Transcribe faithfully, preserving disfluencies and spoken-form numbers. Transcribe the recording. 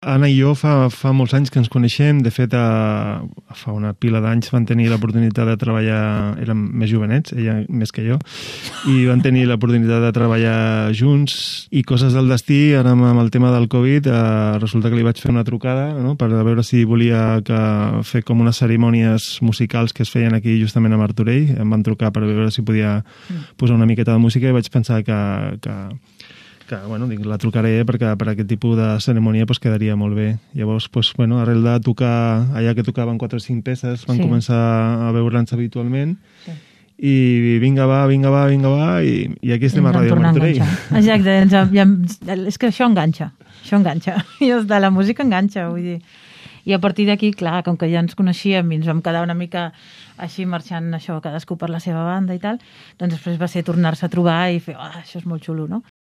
Anna i jo fa, fa molts anys que ens coneixem. De fet, a, fa una pila d'anys van tenir l'oportunitat de treballar, érem més jovenets, ella més que jo, i van tenir l'oportunitat de treballar junts, i coses del destí, ara amb el tema del Covid, eh, resulta que li vaig fer una trucada, no?, per veure si volia que fer com unes cerimònies musicals que es feien aquí justament a Martorell. Em van trucar per veure si podia posar una miqueta de música i vaig pensar que... que que, bueno, dic, la trucaré perquè per aquest tipus de cerimònia pues, quedaria molt bé. Llavors, pues, bueno, arrel de tocar, allà que tocaven quatre o cinc peces, van sí. començar a veure'ns habitualment, sí. i vinga va, vinga va, vinga va, i, i aquí estem a Ràdio Martorell. Exacte, ja, ja, és que això enganxa, això enganxa, i de la música enganxa, vull dir. I a partir d'aquí, clar, com que ja ens coneixíem i ens vam quedar una mica així marxant això, cadascú per la seva banda i tal, doncs després va ser tornar-se a trobar i fer, ah, això és molt xulo, no?